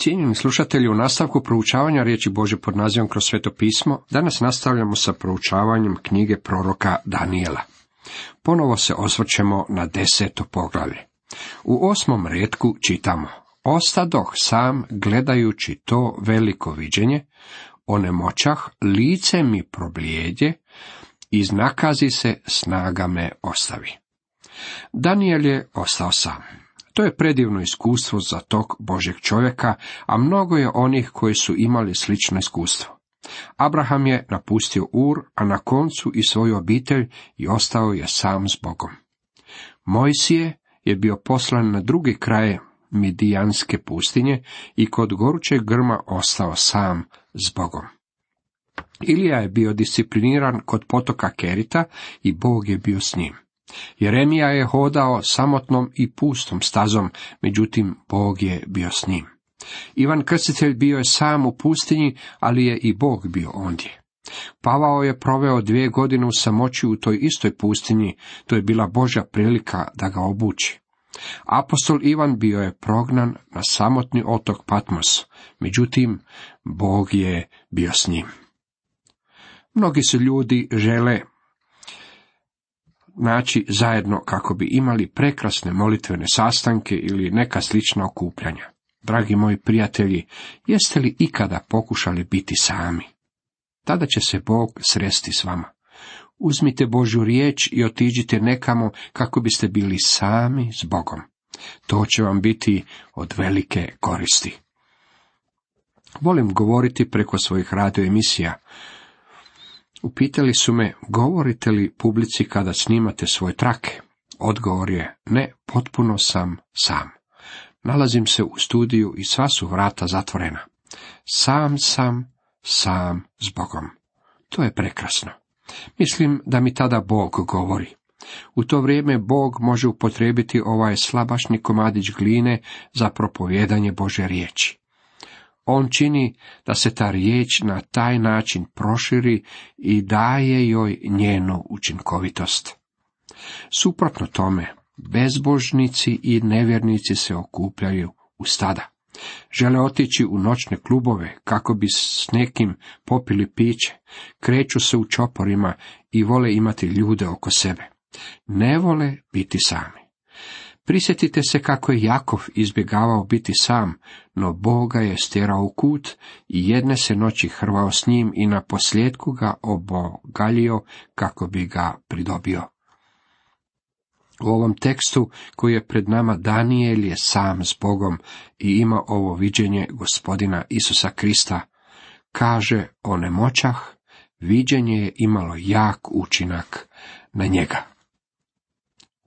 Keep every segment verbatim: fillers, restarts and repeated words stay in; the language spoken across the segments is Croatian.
Cijenjeni slušatelji, u nastavku proučavanja riječi Božje pod nazivom Kroz sveto pismo, danas nastavljamo sa proučavanjem knjige proroka Danijela. Ponovo se osvrćemo na deseto poglavlje. U osmom retku čitamo: Ostadoh sam gledajući to veliko viđenje, onemoćah, lice mi problijedje, iznakazi se, snaga me ostavi. Danijel je ostao sam. To je predivno iskustvo za tog Božjeg čovjeka, a mnogo je onih koji su imali slično iskustvo. Abraham je napustio Ur, a na koncu i svoju obitelj i ostao je sam s Bogom. Mojsije je bio poslan na drugi kraj Midijanske pustinje i kod gorućeg grma ostao sam s Bogom. Ilija je bio discipliniran kod potoka Kerita i Bog je bio s njim. Jeremija je hodao samotnom i pustom stazom, međutim Bog je bio s njim. Ivan Krstitelj bio je sam u pustinji, ali je i Bog bio ondje. Pavao je proveo dvije godine u samoći u toj istoj pustinji, to je bila Božja prilika da ga obuči. Apostol Ivan bio je prognan na samotni otok Patmos, međutim Bog je bio s njim. Mnogi se ljudi žele naći zajedno kako bi imali prekrasne molitvene sastanke ili neka slična okupljanja. Dragi moji prijatelji, jeste li ikada pokušali biti sami? Tada će se Bog sresti s vama. Uzmite Božju riječ i otiđite nekamo kako biste bili sami s Bogom. To će vam biti od velike koristi. Volim govoriti preko svojih radio emisija. Upitali su me, govorite li publici kada snimate svoje trake? Odgovor je, ne, potpuno sam sam. Nalazim se u studiju i sva su vrata zatvorena. Sam sam, sam s Bogom. To je prekrasno. Mislim da mi tada Bog govori. U to vrijeme Bog može upotrijebiti ovaj slabašni komadić gline za propovijedanje Božje riječi. On čini da se ta riječ na taj način proširi i daje joj njenu učinkovitost. Suprotno tome, bezbožnici i nevjernici se okupljaju u stada. Žele otići u noćne klubove kako bi s nekim popili piće, kreću se u čoporima i vole imati ljude oko sebe. Ne vole biti sami. Prisjetite se kako je Jakov izbjegavao biti sam, no Bog ga je stjerao u kut i jedne se noći hrvao s njim i na posljedku ga obogaljio kako bi ga pridobio. U ovom tekstu koji je pred nama Danijel je sam s Bogom i ima ovo viđenje Gospodina Isusa Krista. Kaže, onemoćah, viđenje je imalo jak učinak na njega.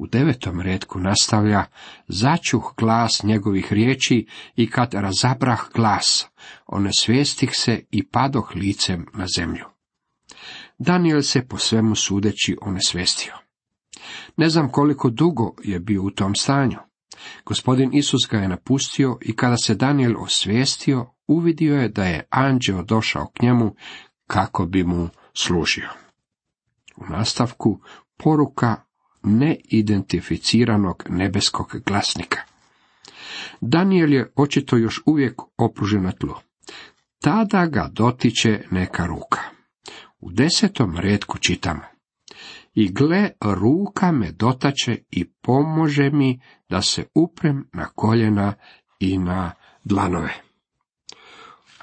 U devetom retku nastavlja, začuh glas njegovih riječi i kad razabrah glas, onesvijestih se i padoh licem na zemlju. Danijel se po svemu sudeći onesvijestio. Ne znam koliko dugo je bio u tom stanju. Gospodin Isus ga je napustio i kada se Danijel osvijestio, uvidio je da je anđeo došao k njemu kako bi mu služio. U nastavku poruka neidentificiranog nebeskog glasnika. Danijel je očito još uvijek opružen na tlu. Tada ga dotiče neka ruka. U desetom retku čitamo: I gle, ruka me dotače i pomože mi da se uprem na koljena i na dlanove.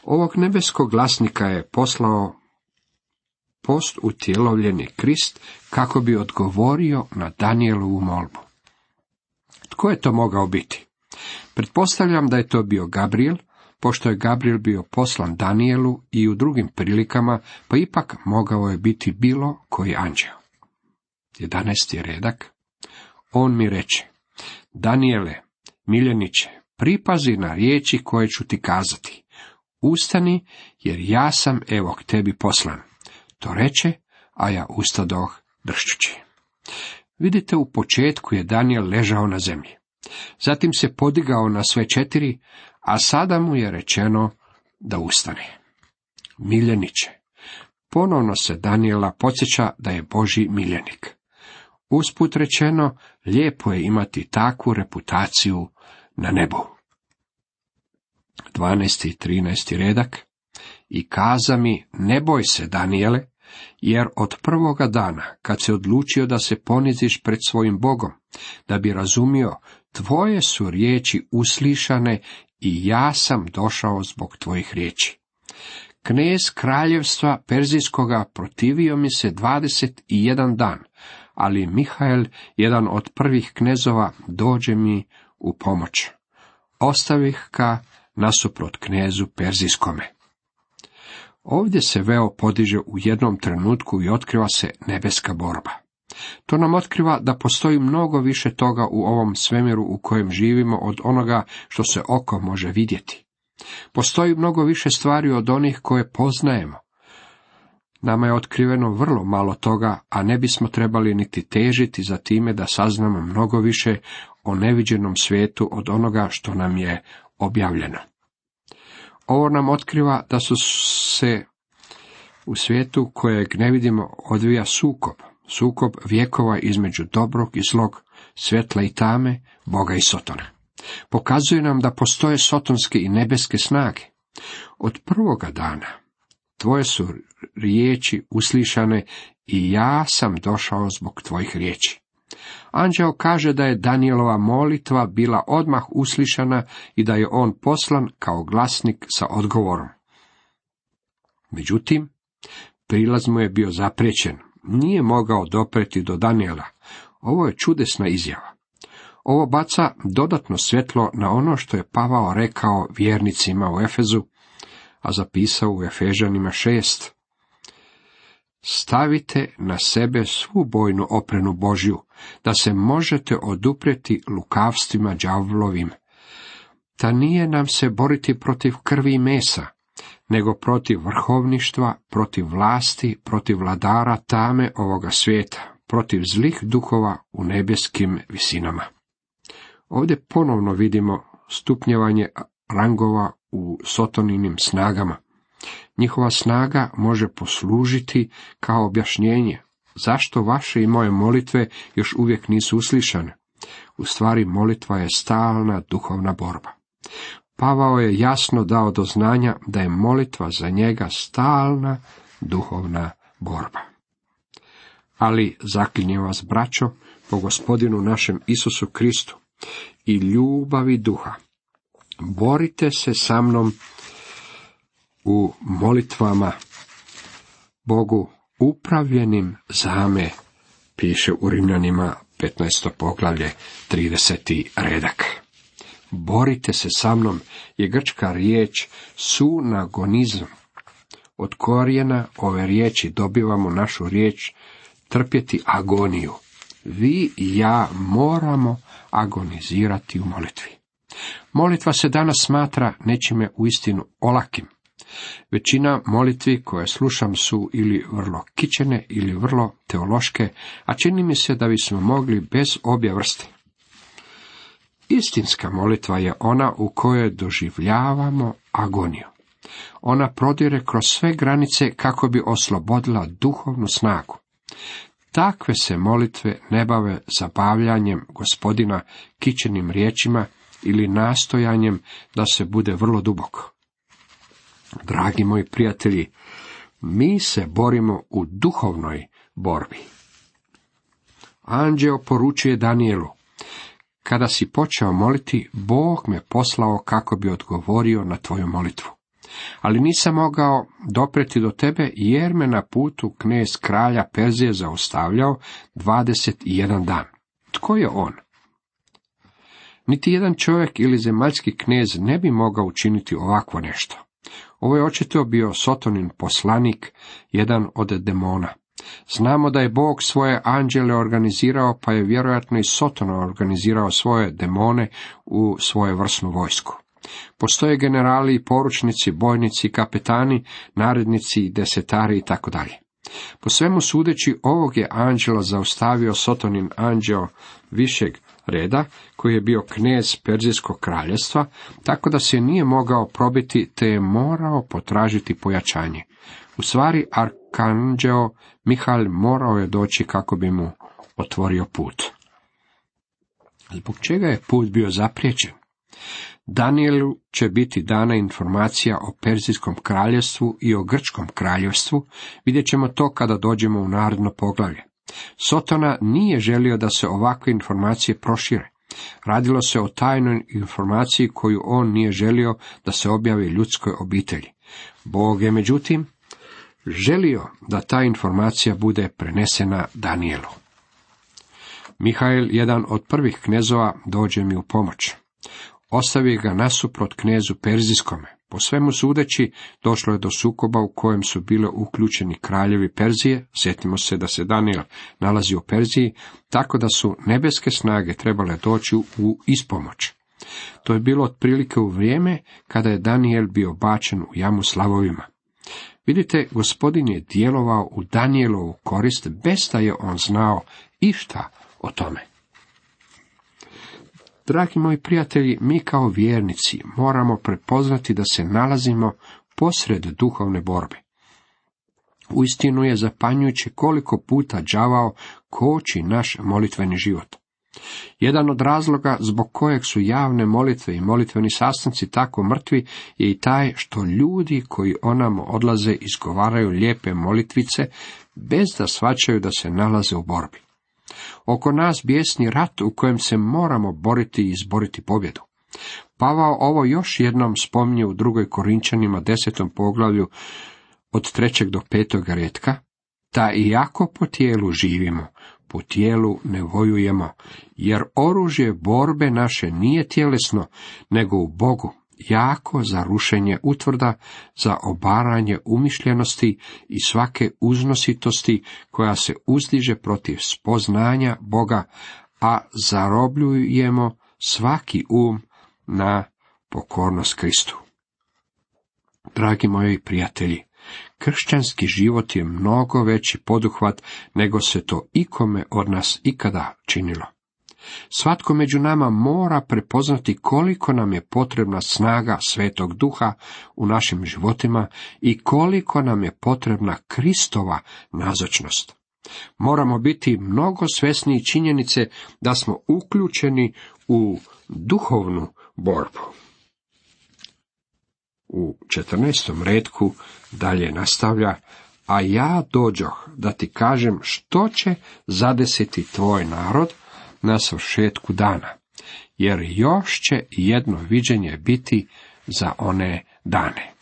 Ovog nebeskog glasnika je poslao post utjelovljeni Krist kako bi odgovorio na Danijelovu molbu. Tko je to mogao biti? Pretpostavljam da je to bio Gabriel, pošto je Gabriel bio poslan Danijelu i u drugim prilikama, pa ipak mogao je biti bilo koji anđeo. Jedanaesti redak. On mi reče: Danijele, miljeniče, pripazi na riječi koje ću ti kazati. Ustani, jer ja sam evo k tebi poslan. To reče, a ja ustadoh dršćući. Vidite, u početku je Danijel ležao na zemlji. Zatim se podigao na sve četiri, a sada mu je rečeno da ustane. Miljeniče. Ponovno se Danijela podsjeća da je Božji miljenik. Usput rečeno, lijepo je imati takvu reputaciju na nebu. dvanaesti i trinaesti redak. I kaza mi, ne boj se, Danijele, jer od prvoga dana, kad se odlučio da se poniziš pred svojim Bogom, da bi razumio, tvoje su riječi uslišane i ja sam došao zbog tvojih riječi. Knez kraljevstva Perzijskoga protivio mi se dvadeset i jedan dan, ali Mihael, jedan od prvih knezova, dođe mi u pomoć. Ostavih ga nasuprot knezu Perzijskome. Ovdje se veo podiže u jednom trenutku i otkriva se nebeska borba. To nam otkriva da postoji mnogo više toga u ovom svemiru u kojem živimo od onoga što se oko može vidjeti. Postoji mnogo više stvari od onih koje poznajemo. Nama je otkriveno vrlo malo toga, a ne bismo trebali niti težiti za time da saznamo mnogo više o neviđenom svijetu od onoga što nam je objavljeno. Ovo nam otkriva da su se u svijetu kojeg ne vidimo odvija sukob, sukob vjekova između dobrog i zlog, svjetla i tame, Boga i Sotona. Pokazuje nam da postoje sotonske i nebeske snage. Od prvoga dana tvoje su riječi uslišane i ja sam došao zbog tvojih riječi. Anđeo kaže da je Danijelova molitva bila odmah uslišana i da je on poslan kao glasnik sa odgovorom. Međutim, prilaz mu je bio zapriječen, nije mogao dopreti do Danijela. Ovo je čudesna izjava. Ovo baca dodatno svjetlo na ono što je Pavao rekao vjernicima u Efezu, a zapisao u Efežanima šest. Stavite na sebe svu bojnu opremu Božju, da se možete oduprijeti lukavstvima đavlovim. Ta nije nam se boriti protiv krvi i mesa, nego protiv vrhovništva, protiv vlasti, protiv vladara tame ovoga svijeta, protiv zlih duhova u nebeskim visinama. Ovdje ponovno vidimo stupnjevanje rangova u Sotoninim snagama. Njihova snaga može poslužiti kao objašnjenje zašto vaše i moje molitve još uvijek nisu uslišane. U stvari molitva je stalna duhovna borba. Pavao je jasno dao do znanja da je molitva za njega stalna duhovna borba. Ali zaklinjem vas, braćo, po Gospodinu našem Isusu Kristu i ljubavi duha, borite se sa mnom u molitvama Bogu upravljenim za me, piše u Rimljanima petnaesto poglavlje trideseti redak. Borite se sa mnom je grčka riječ sunagonizam. Od korijena ove riječi dobivamo našu riječ trpjeti agoniju. Vi i ja moramo agonizirati u molitvi. Molitva se danas smatra nečime uistinu olakim. Većina molitvi koje slušam su ili vrlo kičene ili vrlo teološke, a čini mi se da bismo mogli bez obje vrste. Istinska molitva je ona u kojoj doživljavamo agoniju. Ona prodire kroz sve granice kako bi oslobodila duhovnu snagu. Takve se molitve ne bave zabavljanjem Gospodina kičenim riječima ili nastojanjem da se bude vrlo duboko. Dragi moji prijatelji, mi se borimo u duhovnoj borbi. Anđeo poručuje Danijelu: kada si počeo moliti, Bog me poslao kako bi odgovorio na tvoju molitvu. Ali nisam mogao dopreti do tebe, jer me na putu knez kralja Perzije zaustavljao dvadeset i jedan dan. Tko je on? Niti jedan čovjek ili zemaljski knez ne bi mogao učiniti ovakvo nešto. Ovo je očito bio Sotonin poslanik, jedan od demona. Znamo da je Bog svoje anđele organizirao, pa je vjerojatno i Soton organizirao svoje demone u svoju vrsnu vojsku. Postoje generali i poručnici, bojnici, kapetani, narednici, desetari i tako dalje. Po svemu sudeći, ovog je anđela zaustavio Sotonin anđeo višeg reda, koji je bio knez Perzijskog kraljevstva, tako da se nije mogao probiti, te je morao potražiti pojačanje. U stvari, arkanđeo Mihael morao je doći kako bi mu otvorio put. Zbog čega je put bio zapriječen? Danijelu će biti dana informacija o Perzijskom kraljevstvu i o Grčkom kraljevstvu, vidjet ćemo to kada dođemo u naredno poglavlje. Sotona nije želio da se ovakve informacije prošire. Radilo se o tajnoj informaciji koju on nije želio da se objavi ljudskoj obitelji. Bog je međutim želio da ta informacija bude prenesena Danijelu. Mihael, jedan od prvih knezova, dođe mi u pomoć. Ostavi ga nasuprot knezu Perzijskome. Po svemu sudeći, došlo je do sukoba u kojem su bile uključeni kraljevi Perzije. Sjetimo se da se Danijel nalazi u Perziji, tako da su nebeske snage trebale doći u ispomoć. To je bilo otprilike u vrijeme kada je Danijel bio bačen u jamu s lavovima. Vidite, Gospodin je djelovao u Danijelovu korist bez da je on znao išta o tome. Dragi moji prijatelji, mi kao vjernici moramo prepoznati da se nalazimo posred duhovne borbe. Uistinu je zapanjujuće koliko puta đavao koči naš molitveni život. Jedan od razloga zbog kojeg su javne molitve i molitveni sastanci tako mrtvi je i taj što ljudi koji onamo odlaze izgovaraju lijepe molitvice bez da shvaćaju da se nalaze u borbi. Oko nas bijesni rat u kojem se moramo boriti i izboriti pobjedu. Pavao ovo još jednom spominje u drugoj Korinčanima desetom poglavlju od trećeg do petog retka, da iako po tijelu živimo, po tijelu ne vojujemo, jer oružje borbe naše nije tjelesno, nego u Bogu, jako za rušenje utvrda, za obaranje umišljenosti i svake uznositosti koja se uzdiže protiv spoznanja Boga, a zarobljujemo svaki um na pokornost Kristu. Dragi moji prijatelji, kršćanski život je mnogo veći poduhvat nego se to ikome od nas ikada činilo. Svatko među nama mora prepoznati koliko nam je potrebna snaga Svetog Duha u našim životima i koliko nam je potrebna Kristova nazočnost. Moramo biti mnogo svjesniji činjenice da smo uključeni u duhovnu borbu. U četrnaestom retku dalje nastavlja, a ja dođoh da ti kažem što će zadesiti tvoj narod na svršetku dana, jer još će jedno viđenje biti za one dane.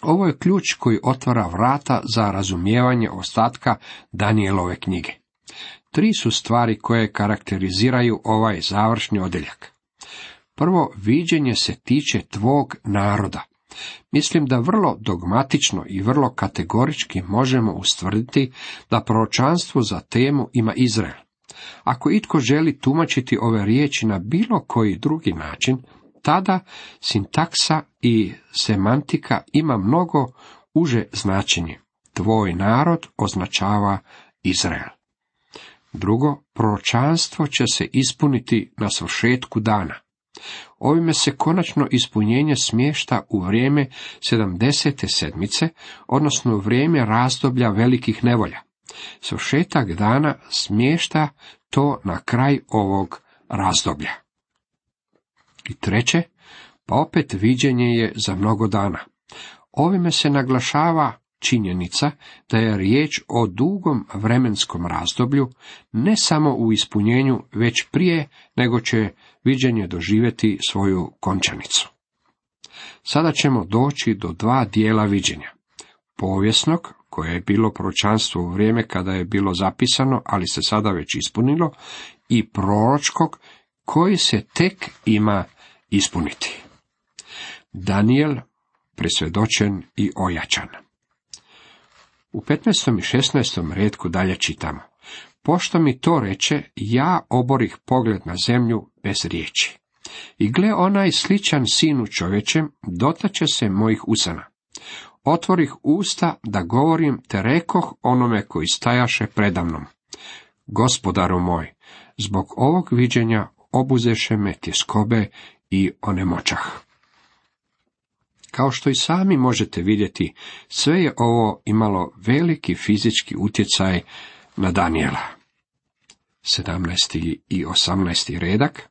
Ovo je ključ koji otvara vrata za razumijevanje ostatka Danijelove knjige. Tri su stvari koje karakteriziraju ovaj završni odjeljak. Prvo, viđenje se tiče tvog naroda. Mislim da vrlo dogmatično i vrlo kategorički možemo ustvrditi da proročanstvo za temu ima Izrael. Ako itko želi tumačiti ove riječi na bilo koji drugi način, tada sintaksa i semantika ima mnogo uže značenje. Tvoj narod označava Izrael. Drugo, proročanstvo će se ispuniti na svršetku dana. Ovime se konačno ispunjenje smješta u vrijeme sedamdesete sedmice, odnosno u vrijeme razdoblja velikih nevolja. Svršetak dana smješta to na kraj ovog razdoblja. I treće, pa opet viđenje je za mnogo dana. Ovime se naglašava činjenica da je riječ o dugom vremenskom razdoblju, ne samo u ispunjenju, već prije nego će viđenje doživjeti svoju končanicu. Sada ćemo doći do dva dijela viđenja. Povijesnog, koje je bilo proročanstvo u vrijeme kada je bilo zapisano, ali se sada već ispunilo, i proročkog, koji se tek ima ispuniti. Danijel, presvjedočen i ojačan. U petnaestom i šesnaestom retku dalje čitamo. Pošto mi to reče, ja oborih pogled na zemlju bez riječi. I gle, onaj sličan sinu čovječem dotače se mojih usana. Otvorih usta da govorim, te rekoh onome koji stajaše predamnom. Gospodaru moj, zbog ovog viđenja obuzeše me tjeskobe i onemoćah. Kao što i sami možete vidjeti, sve je ovo imalo veliki fizički utjecaj na Danijela. sedamnaesti i osamnaesti redak.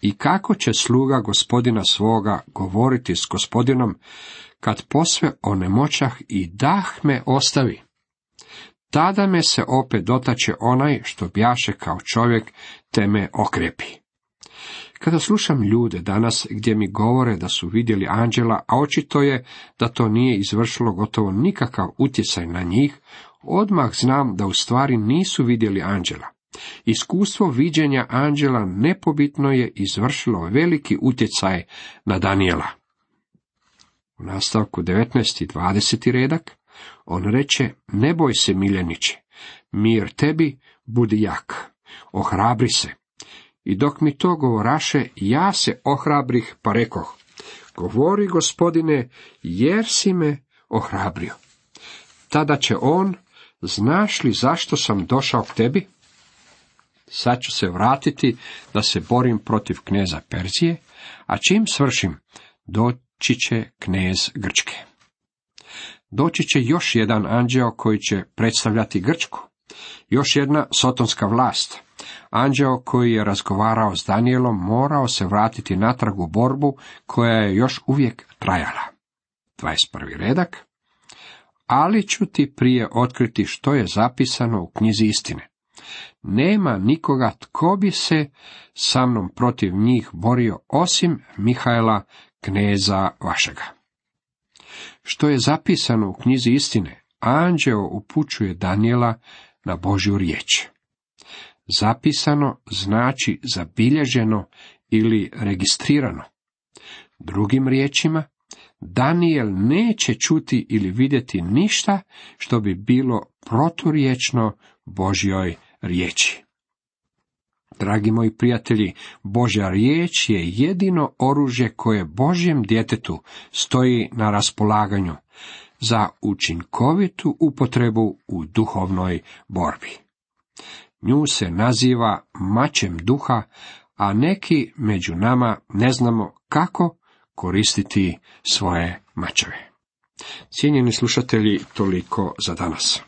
I kako će sluga gospodina svoga govoriti s gospodinom, kad posve onemoćah i dah me ostavi? Tada me se opet dotače onaj što bjaše kao čovjek, te me okrepi. Kada slušam ljude danas gdje mi govore da su vidjeli anđela, a očito je da to nije izvršilo gotovo nikakav utjecaj na njih, odmah znam da u stvari nisu vidjeli anđela. Iskustvo viđenja anđela nepobitno je izvršilo veliki utjecaj na Danijela. U nastavku devetnaesti i dvadeseti redak on reče: ne boj se, miljeniče, mir tebi, budi jak, ohrabri se. I dok mi to govoraše, ja se ohrabrih, pa rekoh: govori, gospodine, jer si me ohrabrio. Tada će on: znaš li zašto sam došao k tebi? Sad ću se vratiti da se borim protiv kneza Perzije, a čim svršim, doći će knez Grčke. Doći će još jedan anđeo koji će predstavljati Grčku, još jedna sotonska vlast. Anđeo koji je razgovarao s Danijelom morao se vratiti natrag u borbu koja je još uvijek trajala. dvadeset prvi redak. Ali ću ti prije otkriti što je zapisano u knjizi istine. Nema nikoga tko bi se sa mnom protiv njih borio osim Mihaela, kneza vašega. Što je zapisano u knjizi istine, anđeo upućuje Danijela na Božju riječ. Zapisano znači zabilježeno ili registrirano. Drugim riječima, Danijel neće čuti ili vidjeti ništa što bi bilo proturječno Božjoj riječi. Dragi moji prijatelji, Božja riječ je jedino oružje koje Božjem djetetu stoji na raspolaganju za učinkovitu upotrebu u duhovnoj borbi. Nju se naziva mačem duha, a neki među nama ne znamo kako koristiti svoje mačeve. Cijenjeni slušatelji, toliko za danas.